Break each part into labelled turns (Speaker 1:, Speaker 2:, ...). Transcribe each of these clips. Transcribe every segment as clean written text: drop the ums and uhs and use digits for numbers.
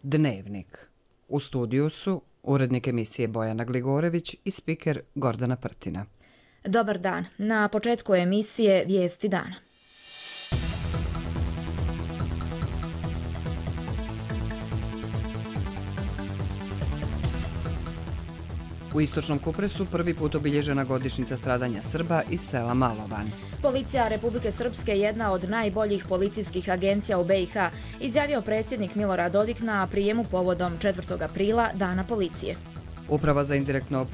Speaker 1: Dnevnik. U studiju su urednik emisije Bojana Gligorević i spiker Gordana Prtina.
Speaker 2: Dobar dan. Na početku emisije Vijesti dana.
Speaker 1: U istočnom Kupresu prvi put obilježena godišnjica stradanja Srba iz sela Malovan.
Speaker 2: Policija Republike Srpske je jedna od najboljih policijskih agencija u BiH, izjavio predsjednik Milorad Dodik na prijemu povodom 4. aprila, Dana policije.
Speaker 1: Uprava za indirektno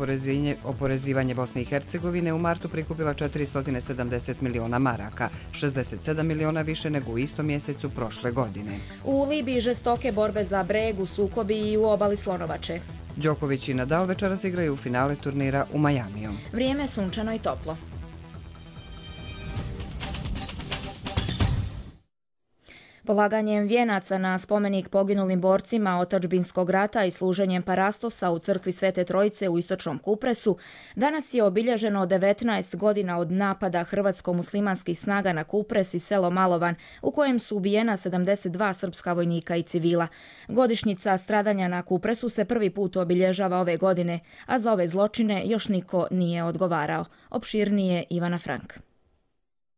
Speaker 1: oporezivanje Bosne i Hercegovine u martu prikupila 470 miliona maraka, 67 miliona više nego u istom mjesecu prošle godine.
Speaker 2: U Libiji žestoke borbe za breg, u sukobi i u obali Slonovače.
Speaker 1: Đoković i Nadal večeras igraju u finale turnira u Majamiju.
Speaker 2: Vrijeme sunčano i toplo. Polaganjem vijenaca na spomenik poginulim borcima otadžbinskog rata i služenjem parastosa u crkvi Svete Trojice u istočnom Kupresu, danas je obilježeno 19 godina od napada hrvatsko-muslimanskih snaga na Kupres i selo Malovan, u kojem su ubijena 72 srpska vojnika i civila. Godišnjica stradanja na Kupresu se prvi put obilježava ove godine, a za ove zločine još niko nije odgovarao. Opširnije Ivana Frank.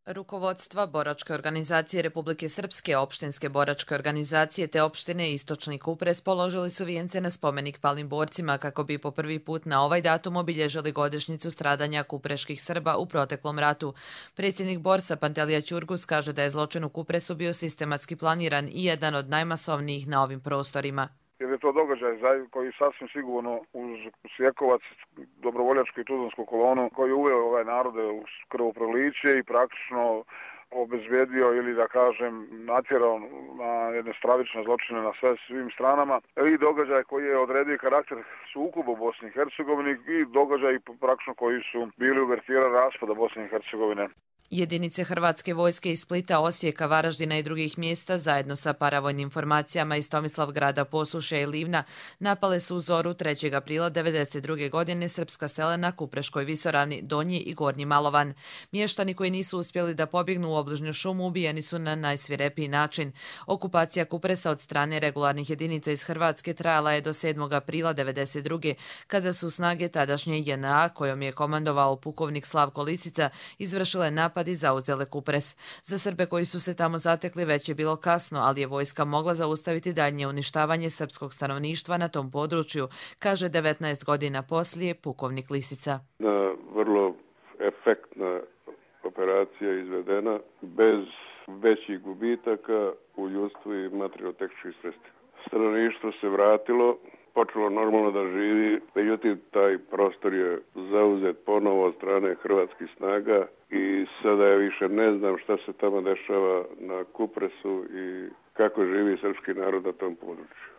Speaker 3: Rukovodstva Boračke organizacije Republike Srpske, opštinske boračke organizacije te opštine Istočni Kupres položili su vijence na spomenik palim borcima kako bi po prvi put na ovaj datum obilježili godišnjicu stradanja kupreških Srba u proteklom ratu. Predsjednik Borsa Pantelija Ćurgus kaže da je zločin u Kupresu bio sistematski planiran i jedan od najmasovnijih na ovim prostorima.
Speaker 4: Jer je to događaj koji sasvim sigurno uz Sjekovac, dobrovoljačku i tuzlansku kolonu koji je uveo ovaj narode u krvoproliće i praktično obezbedio ili da kažem natjerao na jedne stravične zločine na svim stranama i događaj koji je odredio karakter sukoba u Bosni i Hercegovini i događaj praktično koji su bili uvertira raspada Bosne i Hercegovine.
Speaker 3: Jedinice Hrvatske vojske iz Splita, Osijeka, Varaždina i drugih mjesta zajedno sa paravojnim formacijama iz Tomislavgrada, Posuše i Livna napale su u zoru 3. aprila 1992. godine srpska sela na Kupreškoj visoravni, Donji i Gornji Malovan. Mještani koji nisu uspjeli da pobjegnu u obližnju šumu ubijeni su na najsvirepiji način. Okupacija Kupresa od strane regularnih jedinica iz Hrvatske trajala je do 7. aprila 1992. kada su snage tadašnje JNA, kojom je komandovao pukovnik Slavko Lisica, izvršile napad i zauzele Kupres. Za Srbe koji su se tamo zatekli već je bilo kasno, ali je vojska mogla zaustaviti daljnje uništavanje srpskog stanovništva na tom području, kaže 19 godina poslije pukovnik Lisica.
Speaker 5: Vrlo efektna operacija izvedena bez većih gubitaka u ljudstvu i materijalno-tehničkih sredstvima. Stanovništvo se vratilo, počelo normalno da živi, međutim taj prostor je zauzet ponovo od strane hrvatskih snaga i sada ja više ne znam šta se tamo dešava na Kupresu i kako živi srpski narod na tom području.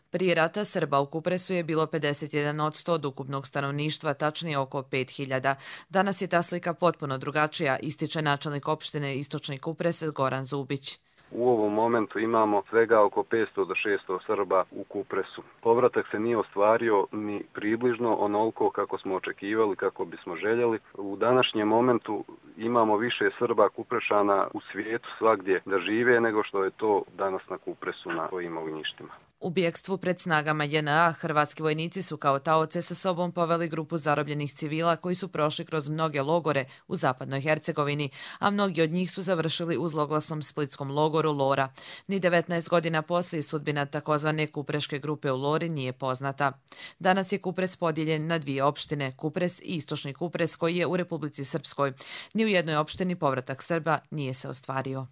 Speaker 3: Prije rata Srba u Kupresu je bilo 51% od ukupnog stanovništva, tačnije oko 5000. Danas je ta slika potpuno drugačija, ističe načelnik opštine Istočni Kupres Goran Zubić.
Speaker 6: U ovom momentu imamo svega oko 500 do 600 Srba u Kupresu. Povratak se nije ostvario ni približno onoliko kako smo očekivali, kako bismo željeli. U današnjem momentu imamo više Srba Kuprešana u svijetu svagdje da žive nego što je to danas na Kupresu na svojim ognjištima.
Speaker 3: U bjekstvu pred snagama JNA hrvatski vojnici su kao taoce sa sobom poveli grupu zarobljenih civila koji su prošli kroz mnoge logore u zapadnoj Hercegovini, a mnogi od njih su završili u zloglasnom splitskom logoru Lora. Ni 19 godina poslije sudbina takozvane kupreške grupe u Lori nije poznata. Danas je Kupres podijeljen na dvije opštine, Kupres i Istočni Kupres koji je u Republici Srpskoj. Ni u jednoj opštini povratak Srba nije se ostvario.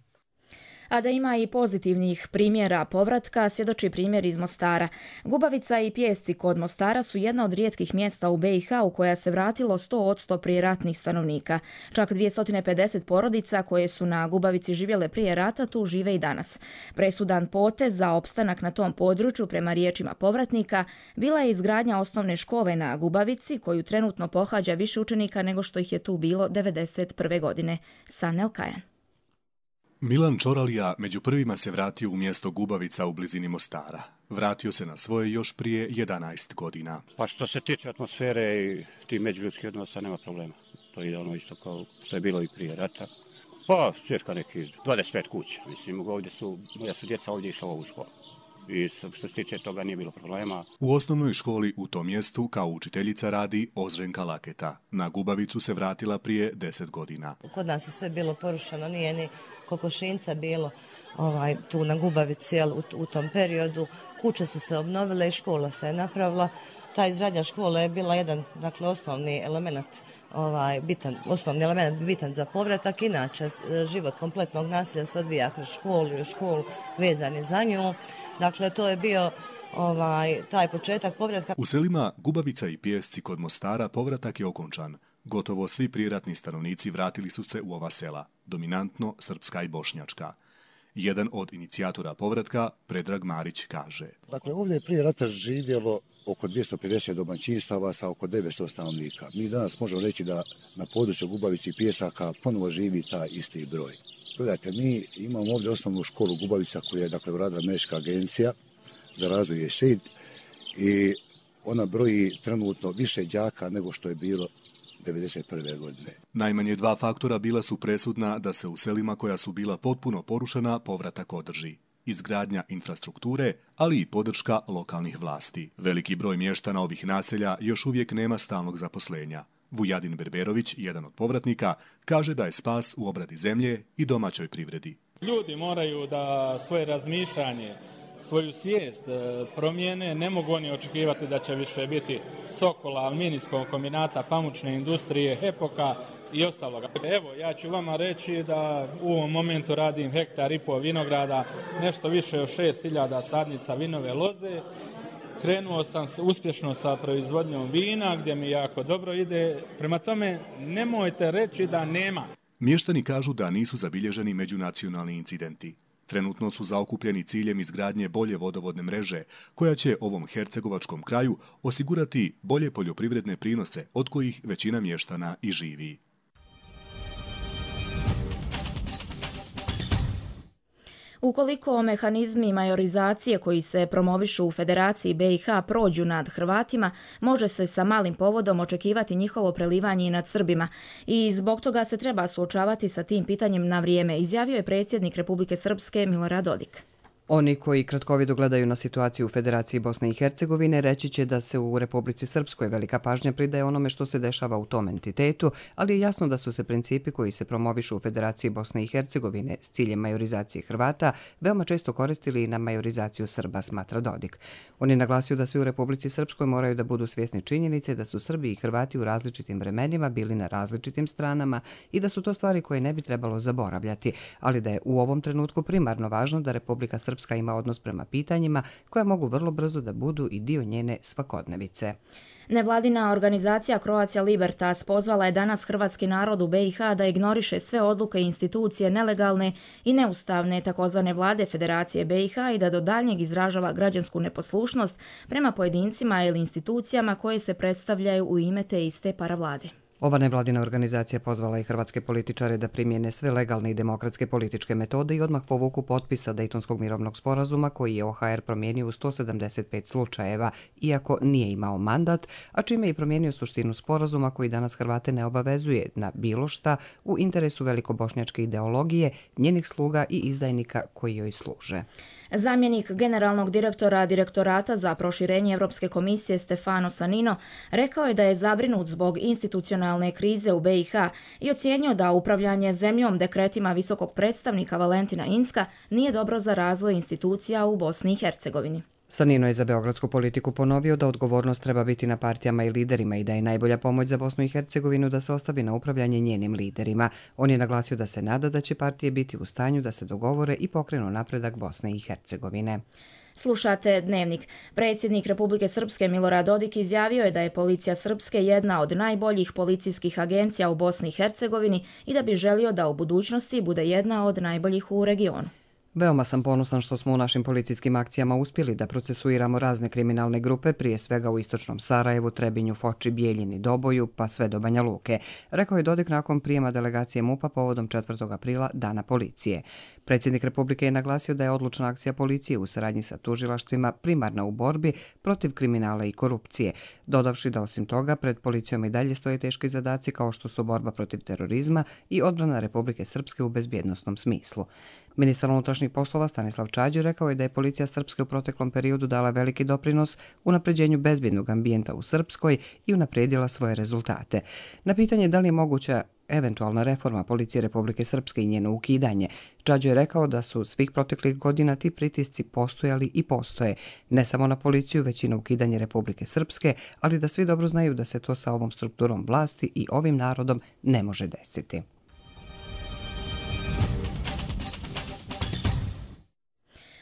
Speaker 2: A da ima i pozitivnih primjera povratka, svjedoči primjer iz Mostara. Gubavica i Pijesci kod Mostara su jedna od rijetkih mjesta u BiH u koja se vratilo 100% prijeratnih stanovnika. Čak 250 porodica koje su na Gubavici živjele prije rata tu žive i danas. Presudan potez za opstanak na tom području, prema riječima povratnika, bila je izgradnja osnovne škole na Gubavici, koju trenutno pohađa više učenika nego što ih je tu bilo 1991. godine. Sanel Kajan.
Speaker 7: Milan Čoralija među prvima se vratio u mjesto Gubavica u blizini Mostara. Vratio se na svoje još prije 11 godina.
Speaker 8: Pa što se tiče atmosfere i tih međuljudskih odnosa nema problema. To ide ono isto kao što je bilo i prije rata. Pa cirka neki 25 kuća. Mislim, ovdje moja su djeca ovdje išla u ovu školu. i što se tiče toga nije bilo problema.
Speaker 7: U osnovnoj školi u tom mjestu kao učiteljica radi Ozrenka Laketa. Na Gubavicu se vratila prije 10 godina.
Speaker 9: Kod nas je sve bilo porušeno, nije ni kokošinca bilo tu na Gubavici u tom periodu. Kuće su se obnovile i škola se je napravila. Ta izgradnja škole je bila jedan, dakle, osnovni element bitan za povratak. Inače, život kompletnog naselja se odvija kroz školu i u školu vezani za nju. Dakle, to je bio taj početak povratka.
Speaker 7: U selima Gubavica i Pijesci kod Mostara povratak je okončan. Gotovo svi prijeratni stanovnici vratili su se u ova sela, dominantno srpska i bošnjačka. Jedan od inicijatora povratka, Predrag Marić, kaže.
Speaker 10: Dakle, ovdje je prije rata živjelo oko 250 domaćinstava sa oko 900 stanovnika. Mi danas možemo reći da na području Gubavice i Pijesaka ponovo živi taj isti broj. Gledajte, mi imamo ovdje osnovnu školu Gubavica koju je uradila Američka agencija za razvoj USAID i ona broji trenutno više đaka nego što je bilo 1991. godine.
Speaker 7: Najmanje 2 faktora bila su presudna da se u selima koja su bila potpuno porušena povratak održi. Izgradnja infrastrukture, ali i podrška lokalnih vlasti. Veliki broj mještana ovih naselja još uvijek nema stalnog zaposlenja. Vujadin Berberović, jedan od povratnika, kaže da je spas u obradi zemlje i domaćoj privredi.
Speaker 11: Ljudi moraju da svoje razmišljanje, svoju svijest promijene, ne mogu oni očekivati da će više biti Sokola, Aluminijskog kombinata, pamučne industrije, Hepoka i ostaloga. Evo, ja ću vama reći da u ovom momentu radim 1,5 hektara vinograda, nešto više od 6.000 sadnica vinove loze. Krenuo sam uspješno sa proizvodnjom vina, gdje mi jako dobro ide. Prema tome, nemojte reći da nema.
Speaker 7: Mještani kažu da nisu zabilježeni međunacionalni incidenti. Trenutno su zaokupljeni ciljem izgradnje bolje vodovodne mreže, koja će ovom hercegovačkom kraju osigurati bolje poljoprivredne prinose, od kojih većina mještana i živi.
Speaker 2: Ukoliko mehanizmi majorizacije koji se promovišu u Federaciji BiH prođu nad Hrvatima, može se sa malim povodom očekivati njihovo prelivanje i nad Srbima i zbog toga se treba suočavati sa tim pitanjem na vrijeme, izjavio je predsjednik Republike Srpske Milorad Dodik.
Speaker 1: Oni koji kratkovido gledaju na situaciju u Federaciji Bosne i Hercegovine reći će da se u Republici Srpskoj velika pažnja pridaje onome što se dešava u tom entitetu, ali je jasno da su se principi koji se promovišu u Federaciji Bosne i Hercegovine s ciljem majorizacije Hrvata veoma često koristili i na majorizaciju Srba, smatra Dodik. On je naglasio da svi u Republici Srpskoj moraju da budu svjesni činjenice da su Srbi i Hrvati u različitim vremenima bili na različitim stranama i da su to stvari koje ne bi trebalo zaboravljati, ali da je u ovom trenutku primarno važno da Republika Srpska ima odnos prema pitanjima koja mogu vrlo brzo da budu i dio njene svakodnevice.
Speaker 2: Nevladina organizacija Croatia Libertas pozvala je danas hrvatski narod u BiH da ignoriše sve odluke i institucije nelegalne i neustavne takozvane vlade Federacije BiH i da do daljnjeg izražava građansku neposlušnost prema pojedincima ili institucijama koje se predstavljaju u ime te iste paravlade.
Speaker 1: Ova nevladina organizacija pozvala i hrvatske političare da primjene sve legalne i demokratske političke metode i odmah povuku potpisa Dejtonskog mirovnog sporazuma koji je OHR promijenio u 175 slučajeva, iako nije imao mandat, a čime je promijenio suštinu sporazuma koji danas Hrvate ne obavezuje na bilo šta u interesu velikobošnjačke ideologije, njenih sluga i izdajnika koji joj služe.
Speaker 2: Zamjenik generalnog direktora Direktorata za proširenje Europske komisije Stefano Sanino rekao je da je zabrinut zbog institucionalne krize u BiH i ocijenio da upravljanje zemljom dekretima visokog predstavnika Valentina Incka nije dobro za razvoj institucija u Bosni i Hercegovini.
Speaker 1: Sanino je za beogradsku politiku ponovio da odgovornost treba biti na partijama i liderima i da je najbolja pomoć za Bosnu i Hercegovinu da se ostavi na upravljanje njenim liderima. On je naglasio da se nada da će partije biti u stanju da se dogovore i pokrenu napredak Bosne i Hercegovine.
Speaker 2: Slušate Dnevnik. Predsjednik Republike Srpske Milorad Dodik izjavio je da je policija Srpske jedna od najboljih policijskih agencija u Bosni i Hercegovini i da bi želio da u budućnosti bude jedna od najboljih u regionu.
Speaker 1: Veoma sam ponosan što smo u našim policijskim akcijama uspjeli da procesuiramo razne kriminalne grupe, prije svega u istočnom Sarajevu, Trebinju, Foči, Bijeljini, Doboju, pa sve do Banja Luke, rekao je Dodik nakon prijema delegacije MUP-a povodom 4. aprila, Dana policije. Predsjednik Republike je naglasio da je odlučna akcija policije u saradnji sa tužilaštvima primarna u borbi protiv kriminala i korupcije, dodavši da osim toga pred policijom i dalje stoje teški zadaci kao što su borba protiv terorizma i odbrana Republike Srpske u bezbjednosnom smislu. Ministar unutrašnjih poslova Stanislav Čađo rekao je da je policija Srpske u proteklom periodu dala veliki doprinos unapređenju bezbednog ambijenta u Srpskoj i unaprijedila svoje rezultate. Na pitanje da li je moguća eventualna reforma policije Republike Srpske i njeno ukidanje, Čađo je rekao da su svih proteklih godina ti pritisci postojali i postoje, ne samo na policiju, već i na ukidanje Republike Srpske, ali da svi dobro znaju da se to sa ovom strukturom vlasti i ovim narodom ne može desiti.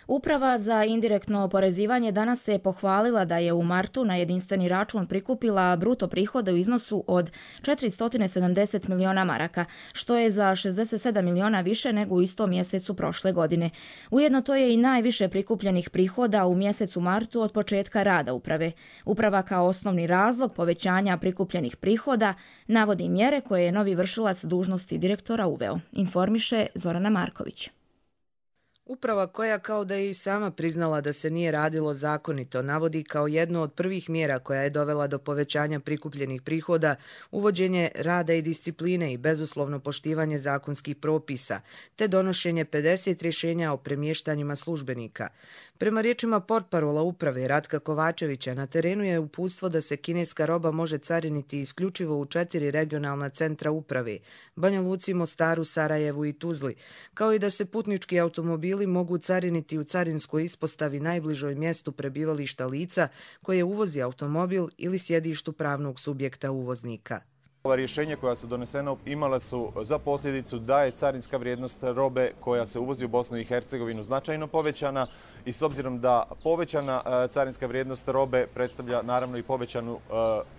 Speaker 2: Uprava za indirektno oporezivanje danas se pohvalila da je u martu na jedinstveni račun prikupila bruto prihode u iznosu od 470 miliona maraka, što je za 67 miliona više nego u istom mjesecu prošle godine. Ujedno to je i najviše prikupljenih prihoda u mjesecu martu od početka rada uprave. Uprava kao osnovni razlog povećanja prikupljenih prihoda navodi mjere koje je novi vršilac dužnosti direktora uveo, informiše Zorana Marković.
Speaker 12: Uprava koja, kao da je i sama priznala da se nije radilo zakonito, navodi kao jednu od prvih mjera koja je dovela do povećanja prikupljenih prihoda uvođenje rada i discipline i bezuslovno poštivanje zakonskih propisa, te donošenje 50 rješenja o premještanjima službenika. Prema riječima portparola uprave Ratka Kovačevića, na terenu je uputstvo da se kineska roba može cariniti isključivo u 4 regionalna centra uprave, Banja Luci, Mostaru, Sarajevu i Tuzli, kao i da se putnički automobili mogu cariniti u carinskoj ispostavi najbližoj mjestu prebivališta lica koje uvozi automobil ili sjedištu pravnog subjekta uvoznika.
Speaker 13: Ova rješenja koja su donesena imala su za posljedicu da je carinska vrijednost robe koja se uvozi u Bosnu i Hercegovinu značajno povećana i s obzirom da povećana carinska vrijednost robe predstavlja naravno i povećanu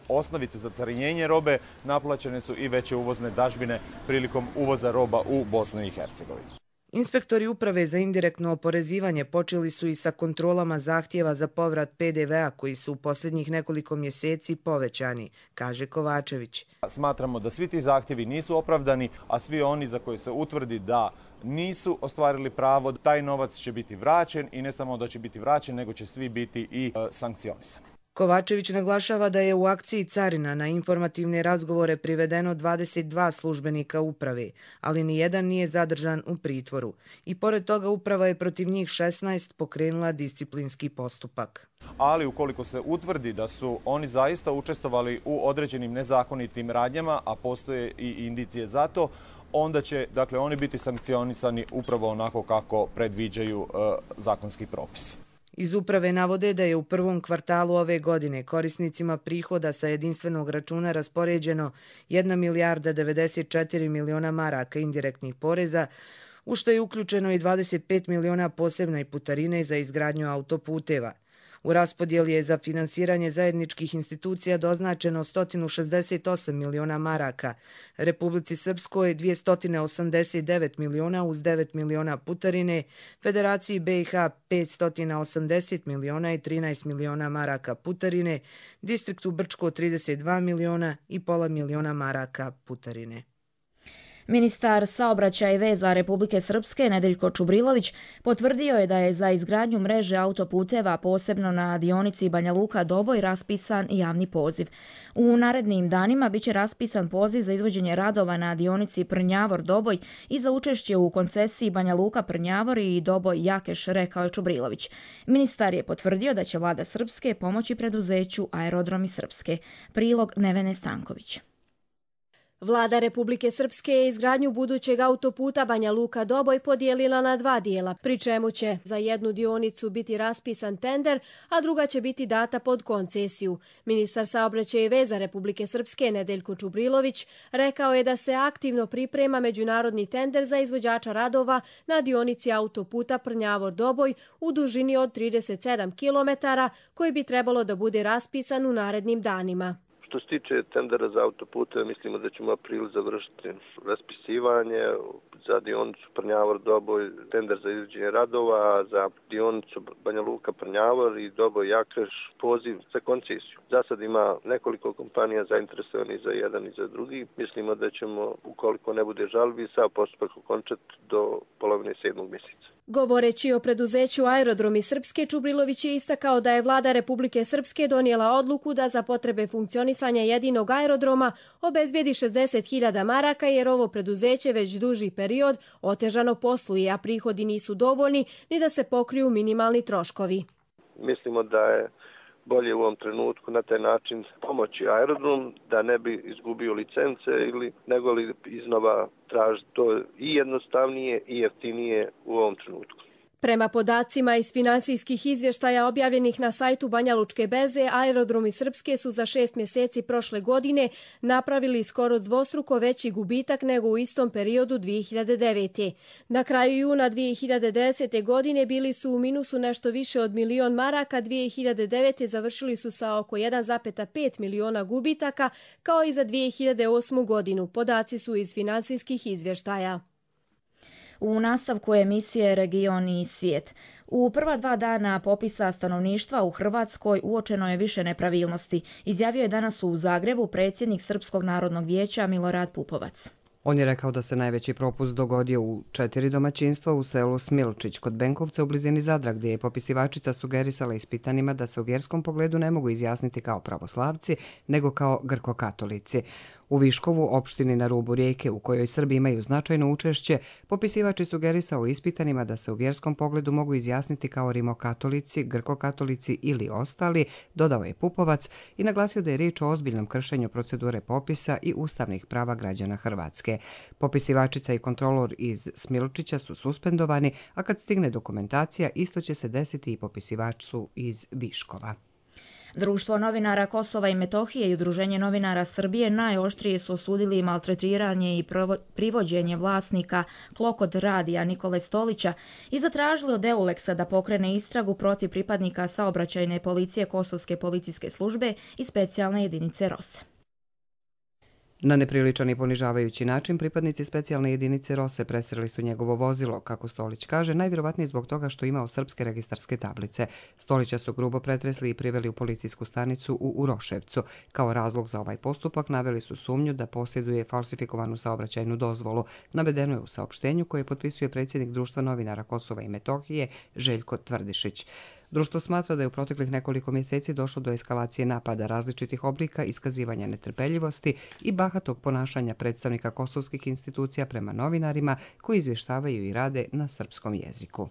Speaker 13: osnovicu za carinjenje robe, naplaćene su i veće uvozne dažbine prilikom uvoza roba u Bosnu i Hercegovinu.
Speaker 12: Inspektori uprave za indirektno oporezivanje počeli su i sa kontrolama zahtjeva za povrat PDV-a koji su u posljednjih nekoliko mjeseci povećani, kaže Kovačević.
Speaker 13: Smatramo da svi ti zahtjevi nisu opravdani, a svi oni za koje se utvrdi da nisu ostvarili pravo, taj novac će biti vraćen i ne samo da će biti vraćen, nego će svi biti i sankcionisani.
Speaker 12: Kovačević naglašava da je u akciji carina na informativne razgovore privedeno 22 službenika uprave, ali nijedan nije zadržan u pritvoru. I pored toga uprava je protiv njih 16 pokrenula disciplinski postupak.
Speaker 13: Ali ukoliko se utvrdi da su oni zaista učestvovali u određenim nezakonitim radnjama, a postoje i indicije za to, onda će oni biti sankcionisani upravo onako kako predviđaju zakonski propisi.
Speaker 12: Iz uprave navode da je u prvom kvartalu ove godine korisnicima prihoda sa jedinstvenog računa raspoređeno 1 milijarda 94 miliona maraka indirektnih poreza, u što je uključeno i 25 miliona posebne putarine za izgradnju autoputeva. U raspodjeli je za finansiranje zajedničkih institucija doznačeno 168 miliona maraka, Republici Srpskoj 289 miliona uz 9 miliona putarine, Federaciji BiH 580 miliona i 13 miliona maraka putarine, distriktu Brčko 32 miliona i pola miliona maraka putarine.
Speaker 2: Ministar saobraćaja i veza Republike Srpske Nedeljko Čubrilović potvrdio je da je za izgradnju mreže autoputeva posebno na dionici Banja Luka-Doboj raspisan javni poziv. U narednim danima biće raspisan poziv za izvođenje radova na dionici Prnjavor-Doboj i za učešće u koncesiji Banja Luka-Prnjavor i Doboj-Jakeš, rekao je Čubrilović. Ministar je potvrdio da će vlada Srpske pomoći preduzeću Aerodromi Srpske. Prilog Nevene Stanković.
Speaker 14: Vlada Republike Srpske je izgradnju budućeg autoputa Banja Luka-Doboj podijelila na 2 dijela, pri čemu će za jednu dionicu biti raspisan tender, a druga će biti data pod koncesiju. Ministar saobraćaja i veza Republike Srpske Nedeljko Čubrilović rekao je da se aktivno priprema međunarodni tender za izvođača radova na dionici autoputa Prnjavor-Doboj u dužini od 37 km, koji bi trebalo da bude raspisan u narednim danima.
Speaker 15: Što se tiče tendera za autopute, mislimo da ćemo u aprilu završiti raspisivanje za dionicu Prnjavor-Doboj, tender za izvođenje radova, za dionicu Banja Luka-Prnjavor i Doboj-Jakeš poziv za koncesiju. Za sad ima nekoliko kompanija zainteresovanih za jedan i za drugi. Mislimo da ćemo, ukoliko ne bude žalbi, sav postupak okončati do polovine 7. mjeseca.
Speaker 14: Govoreći o preduzeću Aerodromi Srpske, Čubrilović je istakao da je vlada Republike Srpske donijela odluku da za potrebe funkcionisanja jedinog aerodroma obezbijedi 60.000 maraka jer ovo preduzeće već duži period otežano posluje, a prihodi nisu dovoljni ni da se pokriju minimalni troškovi.
Speaker 15: Mislimo da je bolje u ovom trenutku na taj način pomoći aerodrom da ne bi izgubio licence ili nego li iznova tražiti to i jednostavnije i jeftinije u ovom trenutku.
Speaker 14: Prema podacima iz finansijskih izvještaja objavljenih na sajtu Banja Lučke berze, Aerodromi Srpske su za 6 mjeseci prošle godine napravili skoro dvostruko veći gubitak nego u istom periodu 2009. Na kraju juna 2010. godine bili su u minusu nešto više od 1.000.000 maraka, 2009. završili su sa oko 1,5 miliona gubitaka, kao i za 2008. godinu. Podaci su iz finansijskih izvještaja.
Speaker 2: U nastavku emisije Region i svijet. U prva 2 dana popisa stanovništva u Hrvatskoj uočeno je više nepravilnosti, izjavio je danas u Zagrebu predsjednik Srpskog narodnog vijeća Milorad Pupovac.
Speaker 1: On je rekao da se najveći propust dogodio u 4 domaćinstva u selu Smilčić kod Benkovca u blizini Zadra, gdje je popisivačica sugerisala ispitanima da se u vjerskom pogledu ne mogu izjasniti kao pravoslavci, nego kao grkokatolici. U Viškovu, opštini na rubu rijeke u kojoj Srbi imaju značajno učešće, popisivač je sugerisao ispitanima da se u vjerskom pogledu mogu izjasniti kao rimokatolici, grkokatolici ili ostali, dodao je Pupovac i naglasio da je riječ o ozbiljnom kršenju procedure popisa i ustavnih prava građana Hrvatske. Popisivačica i kontrolor iz Smilčića su suspendovani, a kad stigne dokumentacija, isto će se desiti i popisivaču iz Viškova.
Speaker 2: Društvo novinara Kosova i Metohije i Udruženje novinara Srbije najoštrije su osudili maltretiranje i privođenje vlasnika Klokot radija Nikole Stolića i zatražili od Euleksa da pokrene istragu protiv pripadnika saobraćajne policije Kosovske policijske službe i specijalne jedinice ROSE.
Speaker 1: Na nepriličan i ponižavajući način pripadnici specijalne jedinice ROSE presreli su njegovo vozilo, kako Stolić kaže, najvjerovatnije zbog toga što imao srpske registarske tablice. Stolića su grubo pretresli i priveli u policijsku stanicu u Uroševcu. Kao razlog za ovaj postupak naveli su sumnju da posjeduje falsifikovanu saobraćajnu dozvolu. Navedeno je u saopštenju koje potpisuje predsjednik Društva novinara Kosova i Metohije Željko Tvrdišić. Društvo smatra da je u proteklih nekoliko mjeseci došlo do eskalacije napada različitih oblika, iskazivanja netrpeljivosti i bahatog ponašanja predstavnika kosovskih institucija prema novinarima koji izvještavaju i rade na srpskom jeziku.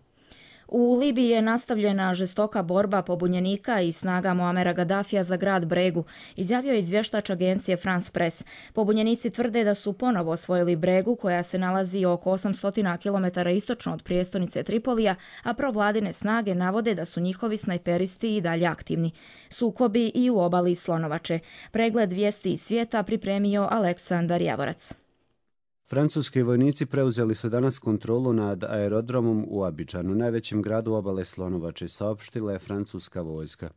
Speaker 2: U Libiji je nastavljena žestoka borba pobunjenika i snaga Muamera Gaddafija za grad Bregu, izjavio je izvještač agencije France Press. Pobunjenici tvrde da su ponovo osvojili Bregu, koja se nalazi oko 800 km istočno od prijestolnice Tripolija, a provladine snage navode da su njihovi snajperisti i dalje aktivni. Sukobi i u obali Slonovače. Pregled vijesti iz svijeta pripremio Aleksandar Javorac.
Speaker 16: Francuski vojnici preuzeli su danas kontrolu nad aerodromom u Abidžanu, najvećem gradu obale Slonovače, saopštila je francuska vojska.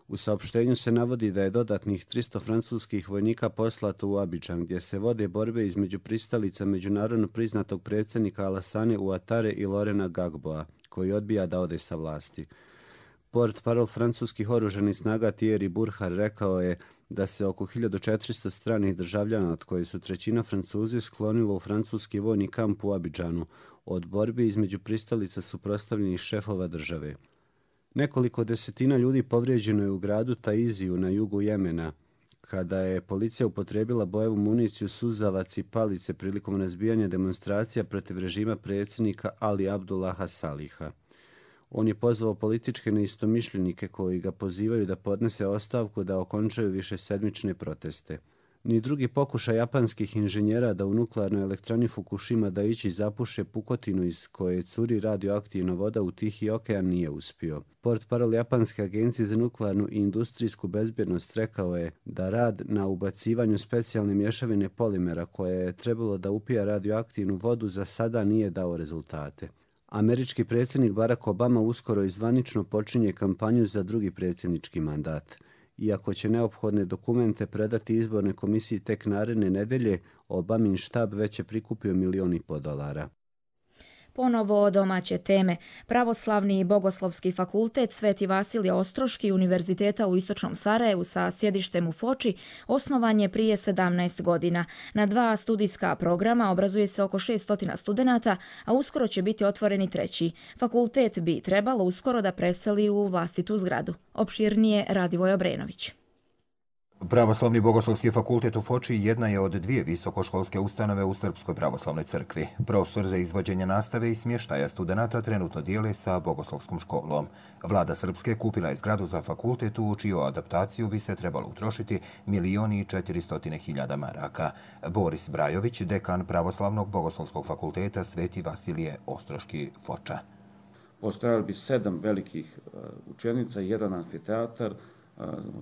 Speaker 16: U saopštenju se navodi da je dodatnih 300 francuskih vojnika poslato u Abidžan, gdje se vode borbe između pristalica međunarodno priznatog predsjednika Alassane Ouattare i Laurenta Gbagboa, koji odbija da ode sa vlasti. Portparol francuskih oružanih snaga Thierry Burkhard rekao je da se oko 1400 stranih državljana, od koje su trećina Francuzi, sklonilo u francuski vojni kamp u Abidžanu od borbi između pristalica suprotstavljenih šefova države. Nekoliko desetina ljudi povrijeđeno je u gradu Taiziju na jugu Jemena, kada je policija upotrijebila bojevu municiju, suzavac i palice prilikom razbijanja demonstracija protiv režima predsjednika Ali Abdullaha Saliha. On je pozvao političke neistomišljenike koji ga pozivaju da podnese ostavku da okončaju višesedmične proteste. Ni drugi pokušaj japanskih inženjera da u nuklearnoj elektrani Fukushima Daiichi zapuše pukotinu iz koje curi radioaktivna voda u Tihi okean nije uspio. Portparol Japanske agencije za nuklearnu i industrijsku bezbjednost rekao je da rad na ubacivanju specijalne mješavine polimera koje je trebalo da upija radioaktivnu vodu za sada nije dao rezultate. Američki predsjednik Barack Obama uskoro i zvanično počinje kampanju za drugi predsjednički mandat. Iako će neophodne dokumente predati izbornoj komisiji tek naredne nedelje, Obamin štab već je prikupio $1,5 miliona.
Speaker 2: Ponovo domaće teme. Pravoslavni i bogoslovski fakultet Sveti Vasilije Ostroški Univerziteta u Istočnom Sarajevu sa sjedištem u Foči osnovan je prije 17 godina. Na 2 studijska programa obrazuje se oko 600 studenata, a uskoro će biti otvoreni 3. Fakultet bi trebalo uskoro da preseli u vlastitu zgradu. Opširnije Radivoj Obrenović.
Speaker 17: Pravoslavni bogoslovski fakultet u Foči jedna je od 2 visokoškolske ustanove u Srpskoj pravoslavnoj crkvi. Prostor za izvođenje nastave i smještaja studenata trenutno dijele sa bogoslovskom školom. Vlada Srpske kupila je zgradu za fakultet u čiju adaptaciju bi se trebalo utrošiti 1.400.000 maraka. Boris Brajović, dekan Pravoslavnog bogoslovskog fakulteta Sveti Vasilije Ostroški Foča.
Speaker 18: Postojali bi 7 velikih učionica, 1 amfiteatar,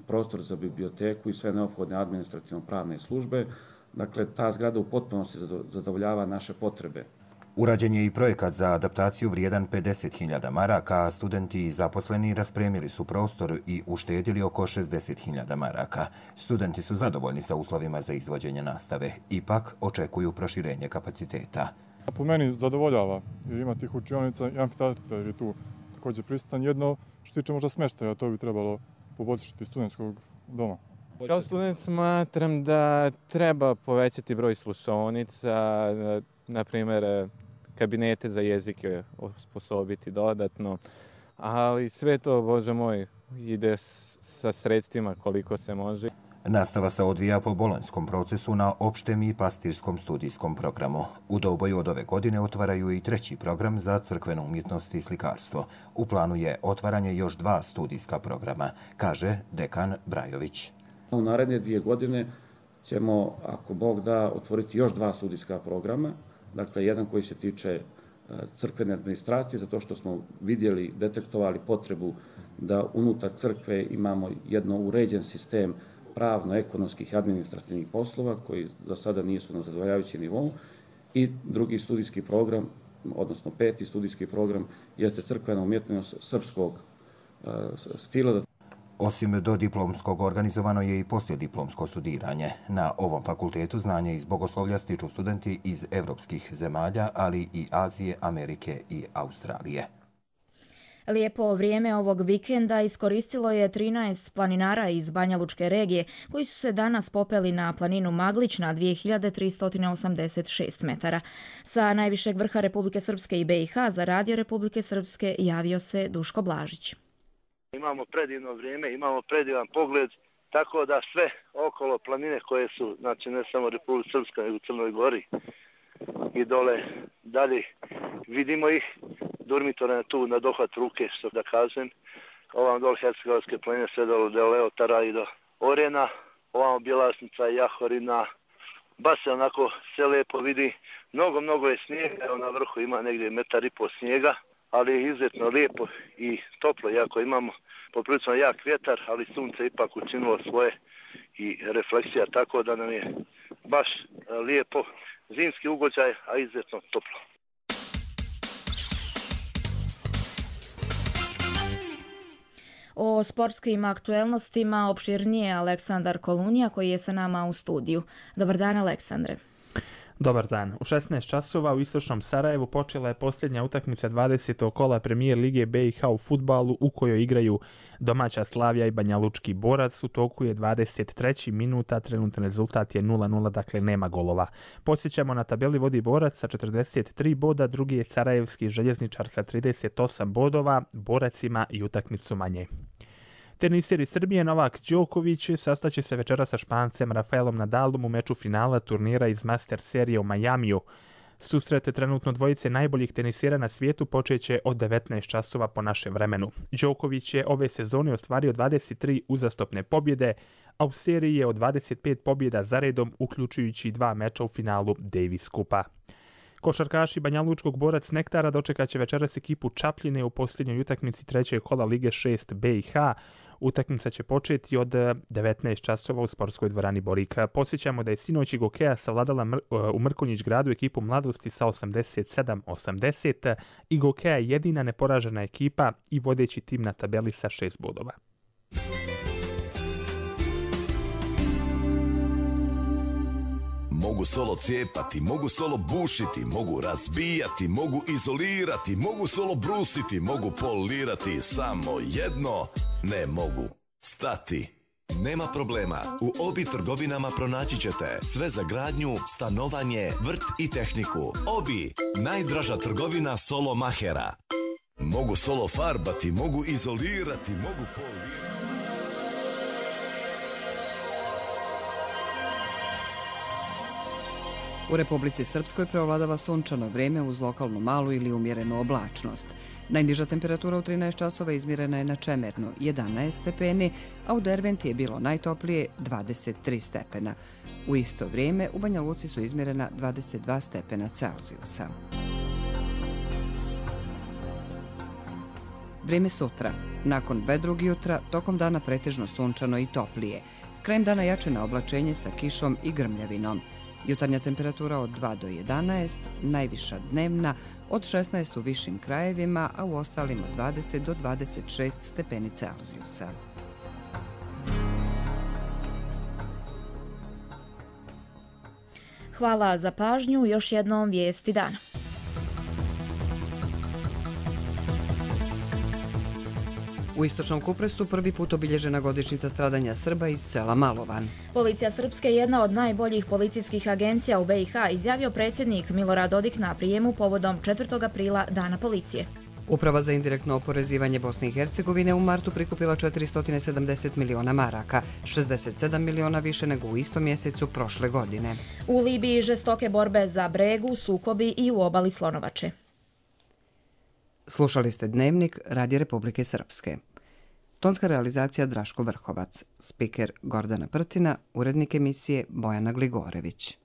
Speaker 18: prostor za biblioteku i sve neophodne administrativno-pravne službe. Dakle, ta zgrada u potpunosti zadovoljava naše potrebe.
Speaker 17: Urađen je i projekat za adaptaciju vrijedan 50.000 maraka, a studenti i zaposleni raspremili su prostor i uštedili oko 60.000 maraka. Studenti su zadovoljni sa uslovima za izvođenje nastave, ipak očekuju proširenje kapaciteta.
Speaker 19: Po meni zadovoljava, jer ima tih učionica i amfiteatar je tu također prisutan. Jedno što tiče možda smještaja, to bi trebalo poboljšati studentskog doma.
Speaker 20: Kao student smatram da treba povećati broj slušaonica, na primjer kabinete za jezike osposobiti dodatno, ali sve to, Bože moj, ide sa sredstvima koliko se može.
Speaker 17: Nastava se odvija po bolonjskom procesu na opštem i pastirskom studijskom programu. U Doboju od ove godine otvaraju i 3. program za crkvenu umjetnost i slikarstvo. U planu je otvaranje još 2 studijska programa, kaže dekan Brajović.
Speaker 18: U naredne 2 godine ćemo, ako Bog da, otvoriti još 2 studijska programa. Dakle, jedan koji se tiče crkvene administracije, zato što smo vidjeli, detektovali potrebu da unutar crkve imamo jedno uređen sistem pravno-ekonomskih i administrativnih poslova koji za sada nisu na zadovoljavajućem nivou, i drugi studijski program, odnosno 5. studijski program, jeste crkvena umjetnost srpskog stila.
Speaker 17: Osim dodiplomskog organizovano je i poslijediplomsko studiranje. Na ovom fakultetu znanje iz bogoslovlja stiču studenti iz evropskih zemalja, ali i Azije, Amerike i Australije.
Speaker 2: Lijepo vrijeme ovog vikenda iskoristilo je 13 planinara iz Banjalučke regije koji su se danas popeli na planinu Maglić na 2386 metara. Sa najvišeg vrha Republike Srpske i BiH za Radio Republike Srpske javio se Duško Blažić.
Speaker 21: Imamo predivno vrijeme, imamo predivan pogled, tako da sve okolo planine koje su, znači ne samo Republika Srpska, nego u Crnoj Gori i dole dalje, vidimo ih. Durmitor je tu na dohvat ruke, što da kažem. Ovam dole Hercegovačke planine, sve dole do Leotara i do Orena. Ovam Bjelasnica, Jahorina. Baš se onako sve lijepo vidi. Mnogo je snijega. Evo na vrhu ima negdje 1,5 metra snijega, ali je izuzetno lijepo i toplo. Iako imamo poprilično jak vjetar, ali sunce ipak učinilo svoje i refleksija, tako da nam je baš lijepo zimski ugođaj, a izuzetno toplo.
Speaker 2: O sportskim aktuelnostima opširnije Aleksandar Kolunija koji je sa nama u studiju. Dobar dan, Aleksandre.
Speaker 22: Dobar dan. U 16 časova u Istočnom Sarajevu počela je posljednja utakmica 20. kola Premijer Lige BiH u fudbalu u kojoj igraju domaća Slavija i Banjalučki Borac. U toku je 23. minuta, trenutni rezultat je 0:0, dakle nema golova. Podsjećamo, na tabeli vodi Borac sa 43 boda, drugi je Sarajevski Željezničar sa 38 bodova, Borac ima i utakmicu manje. Teniseri Srbije Novak Đoković sastaće se večera sa Špancem Rafaelom Nadalom u meču finala turnira iz Master serije u Majamiju. Susret trenutno dvojice najboljih tenisera na svijetu počeće od 19 časova po našem vremenu. Đoković je ove sezone ostvario 23 uzastopne pobjede, a u seriji je od 25 pobjeda zaredom, uključujući 2 meča u finalu Davis Kupa. Košarkaši Banjalučkog Borac Nektara dočekat će večeras ekipu Čapljine u posljednjoj utakmici 3. kola Lige 6 BiH. Utakmica će početi od 19 časova u sportskoj dvorani Borika. Podsjećamo da je sinoć Gokeja savladala u Mrkonjić gradu ekipu Mladosti sa 87-80. Gokeja je jedina neporažena ekipa i vodeći tim na tabeli sa 6 bodova.
Speaker 4: Mogu solo cijepati, mogu solo bušiti, mogu razbijati, mogu izolirati, mogu solo brusiti, mogu polirati, samo jedno ne mogu stati. Nema problema, u Obi trgovinama pronaći ćete sve za gradnju, stanovanje, vrt i tehniku. Obi, najdraža trgovina solo mahera. Mogu solo farbati, mogu izolirati, mogu polirati.
Speaker 1: U Republici Srpskoj preovladava sunčano vrijeme uz lokalnu malu ili umjerenu oblačnost. Najniža temperatura u 13 časova izmjerena je na Čemernu 11 stepeni, a u Derventi je bilo najtoplije 23 stepena. U isto vrijeme u Banja Luci su izmjerena 22 stepena Celzijusa. Vrijeme sutra. Nakon vedrog jutra, tokom dana pretežno sunčano i toplije. Krajem dana jače na oblačenje sa kišom i grmljavinom. Jutarnja temperatura od 2 do 11, najviša dnevna od 16 u višim krajevima, a u ostalim od 20 do 26 stepeni Celzijusa.
Speaker 2: Hvala za pažnju, još jednom vijesti dana.
Speaker 1: U istočnom Kupresu prvi put obilježena godišnjica stradanja Srba iz sela Malovan.
Speaker 2: Policija Srpske je jedna od najboljih policijskih agencija u BiH, izjavio predsjednik Milorad Dodik na prijemu povodom 4. aprila Dana policije.
Speaker 1: Uprava za indirektno oporezivanje Bosne i Hercegovine u martu prikupila 470 miliona maraka, 67 miliona više nego u istom mjesecu prošle godine.
Speaker 2: U Libiji žestoke borbe za Bregu, sukobi i u obali Slonovače.
Speaker 1: Slušali ste Dnevnik Radija Republike Srpske. Tonska realizacija Draško Vrhovac, spiker Gordana Prtina, urednik emisije Bojana Gligorević.